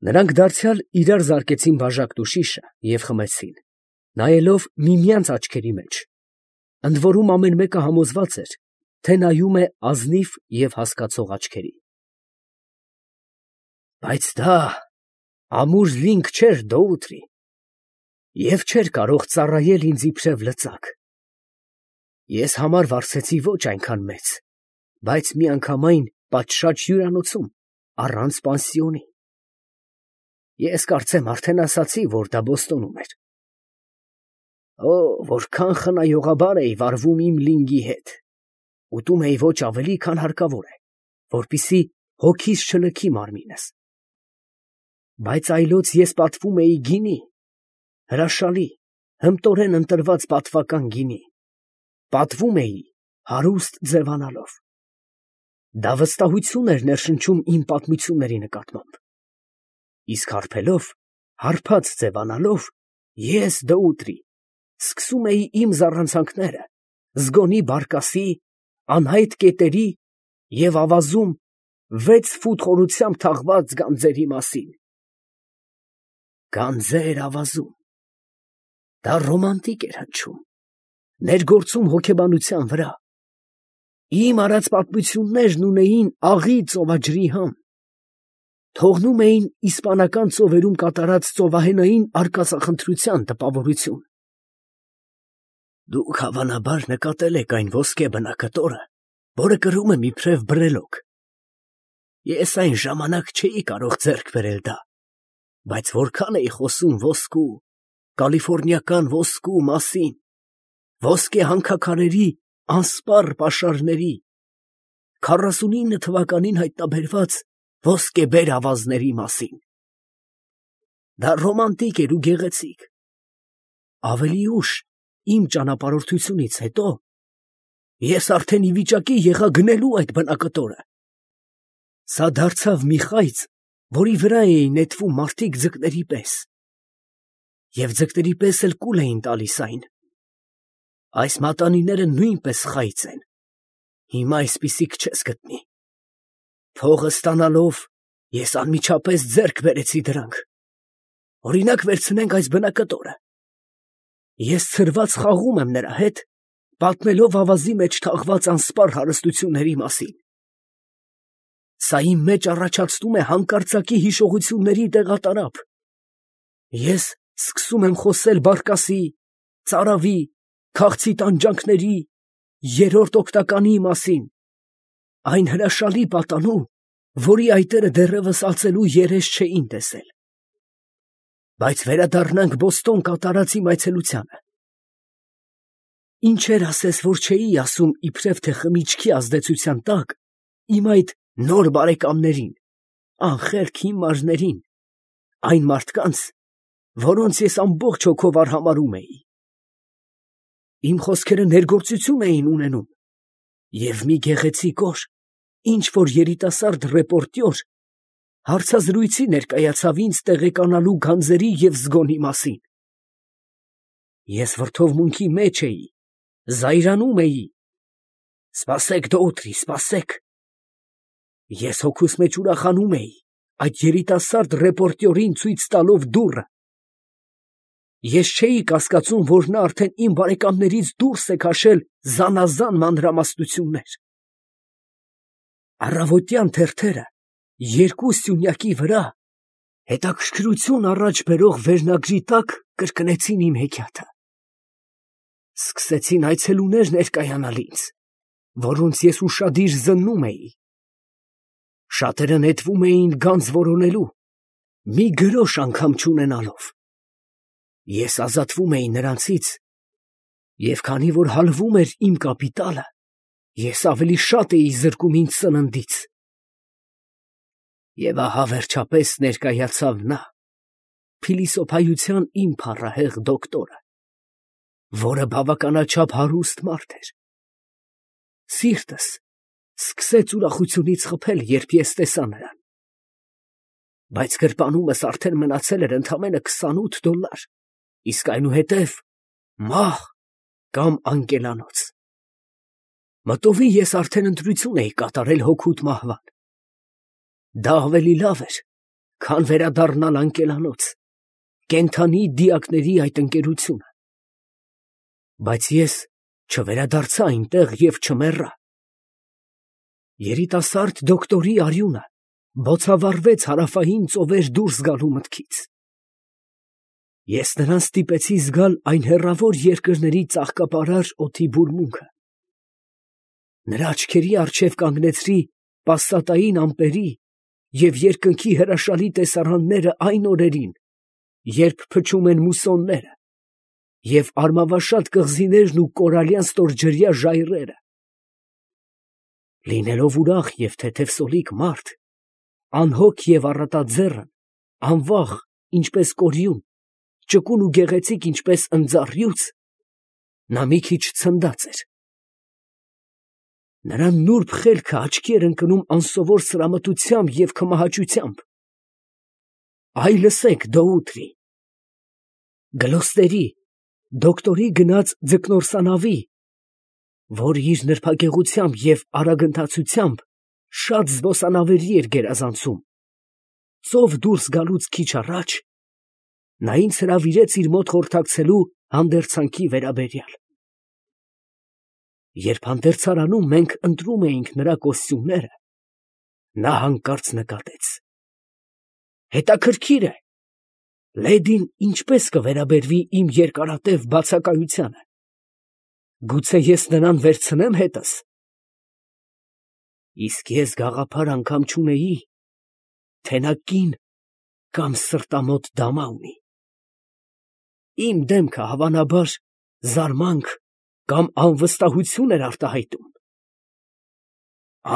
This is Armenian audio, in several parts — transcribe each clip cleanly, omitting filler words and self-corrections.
Նրանք դարձյալ իրար զարկեցին բաժակն ու շիշը և խմեցին, նայելով միմյանց աչքերի մեջ, ընդ որում ամեն մեկը համոզված էր, թե նայում է ազնիվ և հասկացող աչքերի։ Բայց դա ամուր լինք չէր, Դոութրի, և չէր կարող ծառայել ինձ իբրև լծակ։ Ես համար վարձեցի ոչ այնքան մեծ, բայց միանգամայն պատշաճ հյուրանոցում, առանց պանսիոնի։ Ես կարծեմ արդեն ասացի, որ դա Բոստոնում էր։ Օ, որքան խնայողաբար էի վարվում իմ լինգի հետ, ուտում էի ոչ ավելի, քան հարկավոր է, որպեսզի հոգիս չլքի մարմինս։ Բայց այլոց ես պատվում էի գինի, հրաշալի, հմտորեն ընտրված պատվական գինի, պատվում էի հարուստ ձևանալով։ Դա վստահություն էր ներշնչում իմ պատմությունների նկատմամբ։ Իսկ հարբելով, հարբած ձևանալով, ես, Դոութրի, սկսում էի իմ զառանցանքները զգոնի բարկասի, անհայտ կետերի և ավազում 6 ֆուտ խորությամբ թաղված գանձերի մասին։ Գանձեր ավազում։ Դա ռոմանտիկ էր հնչում, ներգործում հոգեբանության վրա։ Իմ արած պատմություններն ունեին աղի ծովաջրի համ, թողնում էին իսպանական ծովերում կատարած ծովահենային արկածախնդրության տպավորություն։ Դուք հավանաբար նկատել եք այն ոսկե բնակտորը, որը կրում եմ իբրև բրելոկ։ Ես այն ժամանակ չէի կարող ձեռք բերել դա, բայց որքան էի խոսում ոսկու, կալիֆոռնիական ոսկու մասին, ոսկե հանքաքարերի անսպառ պաշարների, 49 թվականին հայտնաբերված ոսկեբեր ավազների մասին։ Դա ռոմանտիկ էր ու գեղեցիկ։ Ավելի ուշ, իմ ճանապարհորդությունից հետո, ես արդեն ի վիճակի եղա գնելու այդ բնակտորը։ Սա դարձավ մի խայծ, որի վրա էին նետվում մարդիկ ձկների պես, և ձկների պես էլ կուլ էին տալիս այն։ Այս մատանիները նույնպես խայծ են, հիմա այսպիսիք չես գտնի։ Փողը ստանալով, ես անմիջապես ձեռք բերեցի դրանք։ Օրինակ վերցնենք այս բնակտորը։ Ես ցրված խաղում եմ նրա հետ, պատմելով ավազի մեջ թաղված անսպառ հարստությունների մասին։ Սա իմ մեջ առաջացնում է հանկարծակի հիշողությունների տեղատարափ։ Ես սկսում եմ խոսել բարկասի, ծարավի, քաղցի տանջանքների, երրորդ օգնականի մասին, այն հրաշալի պատանու, որի այտերը դեռևս ածելու երես չէին տեսել։ Բայց վերադառնանք Բոստոն կատարած իմ այցելությանը։ Ինչեր ասես, որ չէի ասում իբրև թե խմիչքի ազդեցության տակ իմ այդ նոր բարեկամներին, անխելք հիմարներին, այն մարդկանց, որոնց ես ամբողջ հոգով արհամարհում էի։ Իմ խոսքերը ներգործություն էին ունենում, և մի գեղեցիկ օր, ինչ-որ երիտասարդ ռեպորտյոր հարցազրույցի ներկայացավ ինձ տեղեկանալու գանձերի և զգոնի մասին։ Ես վրդովմունքի մեջ էի, զայրանում էի. «Սպասեք, Դոութրի, սպասեք»։ Ես հոգուս մեջ ուրախանում էի, այդ երիտասարդ ռեպորտյորին ցույց տալով դուռը։ Ես չէի կասկածում, որ նա արդեն իմ բարեկամներից դուրս է քաշել զանազան մանրամասնություններ։ Առավոտյան թերթերը երկու սյունյակի վրա հետաքրքրություն առաջ բերող վերնագրի տակ կրկնեցին իմ հեքիաթը։ Սկսեցին այցելուներ ներկայանալ ինձ, որոնց ես ուշադիր զննում էի։ Շատերը նետվում էին գանձ որոնելու, մի գրոշ անգամ չունենալով։ Ես ազատվում էի նրանցից, և քանի որ հալվում էր իմ կապիտալը, ես ավելի շատ էի զրկում ինձ սննդից։ Եվ ահա վերջապես ներկայացավ նա, փիլիսոփայության իմ փառահեղ դոկտորը, որը բավականաչափ հարուստ մարդ էր։ Սիրտս սկսեց ուրախությունից խփել, երբ ես տեսա նրան։ Բայց գրպանումս արդեն մնացել էր ընդամենը $28, իսկ այնուհետև մահ կամ անկելանոց։ Մտովի ես արդեն ընտրություն էի կատարել հոգուտ մահվան։ Դա ավելի լավ էր, քան վերադառնալ անկելանոց, կենդանի դիակների այդ ընկերությունը։ Բայց ես չվերադարձա այնտեղ և չմեռա։ Երիտասարդ դոկտորի արյունը բոցավառվեց հարավային ծովեր դուրս գալու մտքից։ Ես նրան ստիպեցի զգալ այն հեռավոր երկրների ծաղկապարար օդի բուրմունքը։ Նրա աչքերի առջև կանգնեցրի պասատային ամպերի և երկնքի հրաշալի տեսարանները այն օրերին, երբ փչում են մուսոնները և արմավաշատ կղզիներն ու կորալյան ստորջրյա ժայռերը։ Լինելով ուրախ և թեթևսոլիկ մարդ, անհոգ և առատաձեռն, անվախ, ինչպես կորյուն, ճկուն ու գեղեցիկ, ինչպես ընձառյուծ, նա մի քիչ ցնդած էր։ Նրա նուրբ խելքը աչքի էր ընկնում անսովոր սրամտությամբ և քմահաճությամբ։ Այ լսեք, դոուտրի, Գլոստերի, դոկտորի գնած ձկնորսանավի, որ իր նրբագեղությամբ և արագընթացությամբ շատ զբոսանավերի էր գերազանցում, ծով դուրս գալուց քիչ առաջ, նա ինձ հրավիրեց իր մոտ խորհրդակցելու հանդերձանքի վերաբերյալ։ Երբ հանդերձարանում մենք ընտրում էինք նրա կոստյումները, նա հանկարծ նկատեց. «Հետաքրքիր է, լեդին ինչպես կվերաբերվի իմ երկարատև բացակայությանը. գուցե ես նրան վերցնեմ հետս»։ Իսկ ես գաղափար անգամ չունեի, թե նա կին կամ սրտամոտ դամա ունի։ Իմ դեմքը, հավանաբար, զարմանք կամ անվստահություն էր արտահայտում։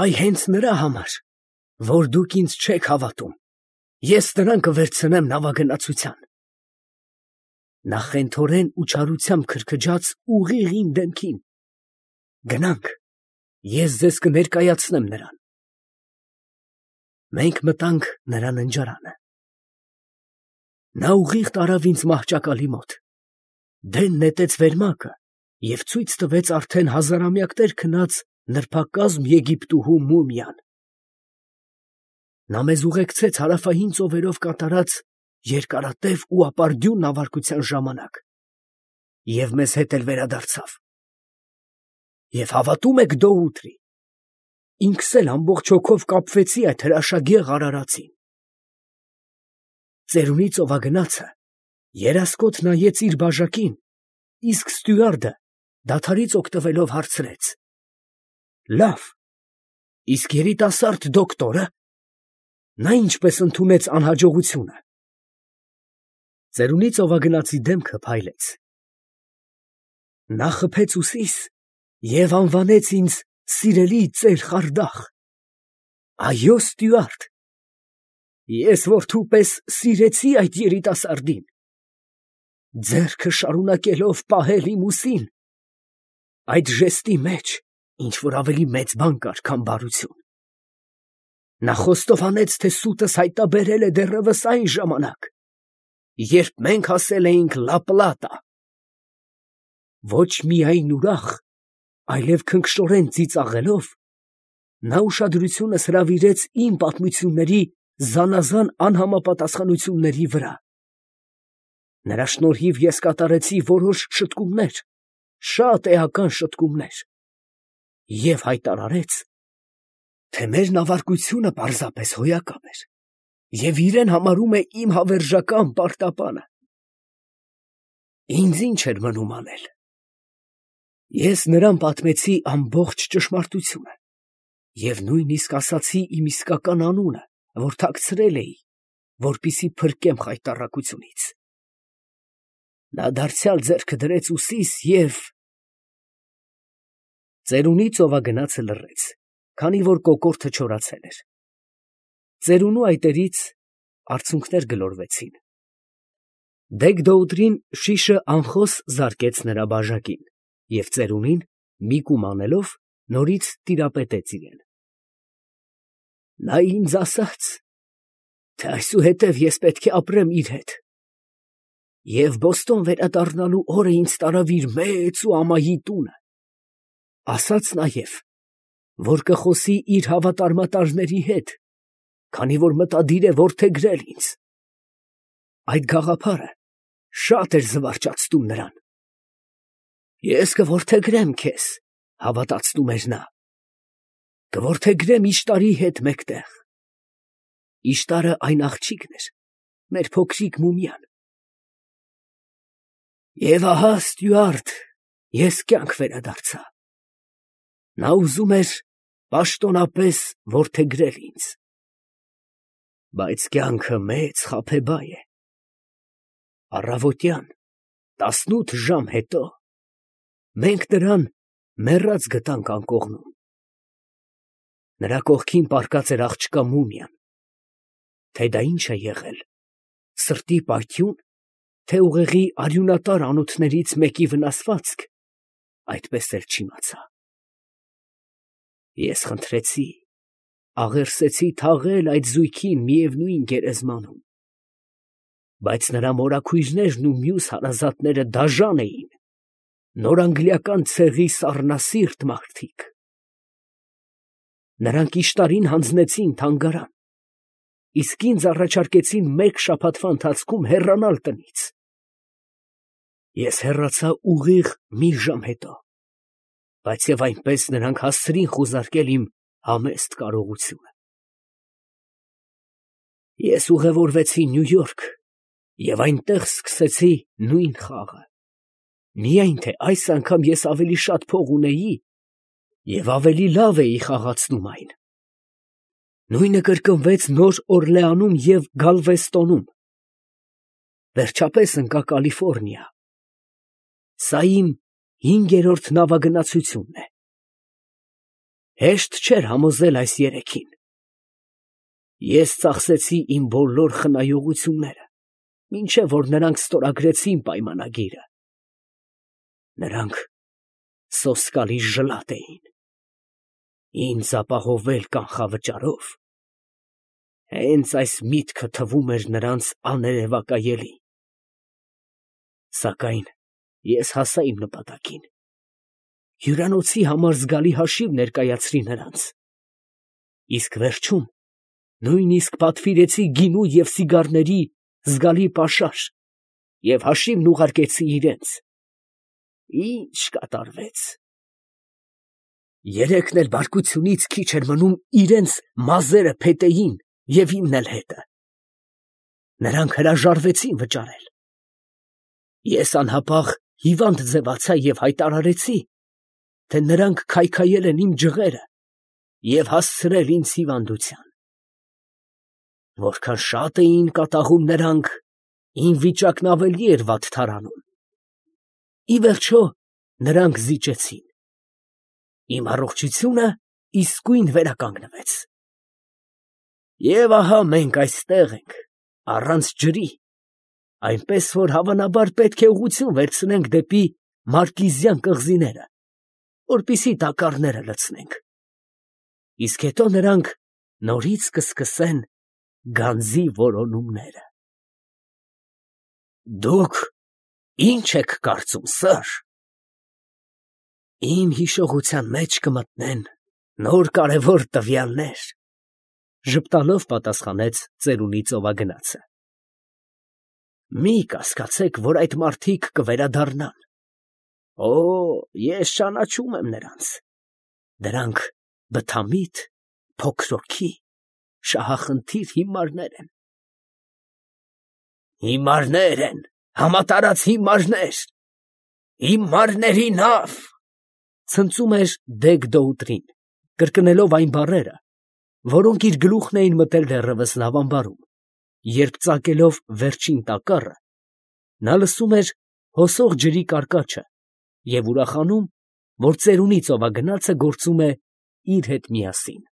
Այ հենց նրա համար, որ դուք ինձ չեք հավատում, ես նրան կվերցնեմ նավագնացության։ Նա խենթորեն ու չարությամբ քրքջաց ուղիղ իմ դեմքին։ Գնանք, ես ձեզ կներկայացնեմ նրան։ Մենք մտանք նրա ննջարանը։ Նա ուղիղ տարավ ինձ մահճակալի մոտ, դեն նետեց վերմակը և ցույց տվեց արդեն հազարամյակներ քնած նրբակազմ եգիպտուհու մումիան։ Նա մեզ ուղեկցեց հարավային ծովերով կատարած երկարատև ու ապարդյուն նավարկության ժամանակ և մեզ հետ էլ վերադարձավ։ Եվ հավատո՞ւմ եք, դոուտրի, ինքս էլ ամբողջ հոգով կապվեցի այդ հրաշագեղ արարածին։ Ծերունի ծովագնացը երասկոտ նայեց իր բաժակին, իսկ ստյուարդը դադարից օգտվելով հարցրեց. «Լավ, իսկ երիտասարդ դոկտորը, նա ինչպես ընդունեց անհաջողությունը»։ Ծերունի ծովագնացի դեմքը փայլեց։ Նա խփեց ուսիս և անվանեց ինձ սիրելի ծեր խարդախ։ Այո, ստյուարդ, ես որդու պես սիրեցի այդ երիտասարդին, ձեռքը շարունակելով պահել իմ ուսին, այդ ժեստի մեջ ինչ֊որ ավելի մեծ բան կար, քան բարություն։ Նա խոստովանեց, թե սուտս հայտնաբերել է դեռևս այն ժամանակ, երբ մենք հասել էինք Լա Պլատա։ Ոչ միայն ուրախ, այլև քնքշորեն ծիծաղելով, նա ուշադրությունս հրավիրեց իմ պատմությունների զանազան անհամապատասխանությունների վրա։ Նրա շնորհիվ ես կատարեցի որոշ շտկումներ, շատ էական շտկումներ, և հայտարարեց, թե մեր նավարկությունը պարզապես հոյակապ էր և իրեն համարում է իմ հավերժական պարտապանը։ Ինձ ինչ էր մնում անել։ Ես նրան պատմեցի ամբողջ ճշմարտությունը և նույնիսկ ասացի իմ իսկական անունը, որ թաքցրել էի, որպեսզի փրկեմ խայտառակությունից։ Նա դարձյալ ձեռքը դրեց ուսիս և… Ծերունի ծովագնացը լռեց, քանի որ կոկորդը չորացել էր։ Ծերունու այտերից արցունքներ գլորվեցին։ Դեգ֊Դոուտրին շիշը անխոս զարկեց նրա բաժակին և ծերունին, մի կում անելով, նորից տիրապետեց իրան։ Նա ինձ ասաց, թե այսուհետև ես պետք է ապրեմ իր հետ, և Բոստոն վերադառնալու օրը ինձ տարավ իր մեծ ու ամայի տունը, ասաց նաև, որ կխոսի իր հավատարմատարների հետ, քանի որ մտադիր է որդեգրել ինձ։ Այդ գաղափարը շատ էր զվարճացնում նրան։ Ես կորդեգրեմ քեզ, հավատացնում էր նա, կորդեգրեմ Իշտարի հետ մեկտեղ։ Իշտարը այն աղջիկն էր, մեր փոքրիկ մումյան։ Եվ ահա, ստյուարդ, ես կյանք վերադարձա։ Նա ուզում էր պաշտոնապես որդեգրել ինձ։ Բայց կյանքը մեծ խաբեբայ է։ Առավոտյան 18 ժամ հետո մենք նրան մեռած գտանք անկողնում։ Նրա կողքին պառկած էր աղջկա մումիան։ Թե դա ինչ է եղել, սրտի պայթյուն, թե ուղեղի արյունատար անոթներից մեկի վնասվածք, այդպես էլ չիմացա։ Ես խնդրեցի, աղերսեցի թաղել այդ զույգին միևնույն գերեզմանում, բայց նրա մորաքույրներն ու մյուս հարազատները դաժան էին, նորանգլիական ցեղի սառնասիրտ մարդիկ։ Նրանք Իշտարին հանձնեցին թանգարան, իսկ ինձ առաջարկեցին մեկ շաբաթվա ընթացքում հեռանալ տնից։ Ես հեռացա ուղիղ մի ժամ հետո, բայց և այնպես նրանք հասցրին խուզարկել իմ համեստ կարողությունը։ Ես ուղևորվեցի Նյու Յորք և այնտեղ սկսեցի նույն խաղը, միայն թե այս անգամ ես ավելի շատ փող ունեի և ավելի լավ էի խաղացնում այն։ Նույնը կրկնվեց Նոր Օրլեանում և Գալվեստոնում։ Վերջապես ընկա Կալիֆոռնիա։ Սա իմ 5-րդ նավագնացությունն է։ Հեշտ չէր համոզել այս երեքին։ Ես ծախսեցի իմ բոլոր խնայողությունները, մինչև որ նրանք ստորագրեցին պայմանագիրը։ Նրանք սոսկալի ժլատ էին։ Ինձ ապահովել կանխավճարով, հենց այս միտքը թվում էր նրանց աներևակայելի։ Սակայն ես հասա իմ նպատակին։ Հյուրանոցի համար զգալի հաշիվ ներկայացրի նրանց, իսկ վերջում նույնիսկ պատվիրեցի գինու և սիգարների զգալի պաշար և հաշիվն ուղարկեցի իրենց։ Ինչ կատարվեց։ Երեքն էլ բարկությունից քիչ էր մնում իրենց մազերը փետեին և իմն էլ հետը։ Նրանք հրաժարվեցին վճարել։ Ես անհապաղ հիվանդ ձևացա և հայտարարեցի, թե նրանք քայքայել են իմ ջղերը և հասցրել ինձ հիվանդության։ Որքան շատ էին կատաղում նրանք, իմ վիճակն ավելի էր վատթարանում։ Ի վերջո նրանք զիջեցին։ Իմ առողջությունը իսկույն վերականգնվեց։ Եվ ահա մենք այստեղ ենք, առանց ջրի, այնպես որ հավանաբար պետք է ուղղություն վերցնենք դեպի Մարկիզյան կղզիները, որպեսզի տակառները լցնենք։ Իսկ հետո նրանք նորից կսկսեն գանձի որոնումները։ Դուք ի՞նչ եք կարծում, սըր։ Իմ հիշողության մեջ կմտնեն նոր կարևոր տվյալներ, ժպտալով պատասխանեց ծերունի ծովագնացը։ Մի կասկածեք, որ այդ մարդիկ կվերադառնան։ Օ, ես ճանաչում եմ նրանց։ Դրանք բթամիտ, փոքրոքի, շահախնդիր հիմարներ են։ Հիմարներ են, համատարած հիմարներ, հիմարների նավ, ցնծում էր Դեգ֊Դոուտրին, կրկնելով այն բառերը, որոնք իր գլուխն էին մտել դեռևս նավամբարում, երբ ծակելով վերջին տակառը, նա լսում էր հոսող ջրի կարկաչը և ուրախանում, որ ծերունի ծովագնացը գործում է իր հետ միասին։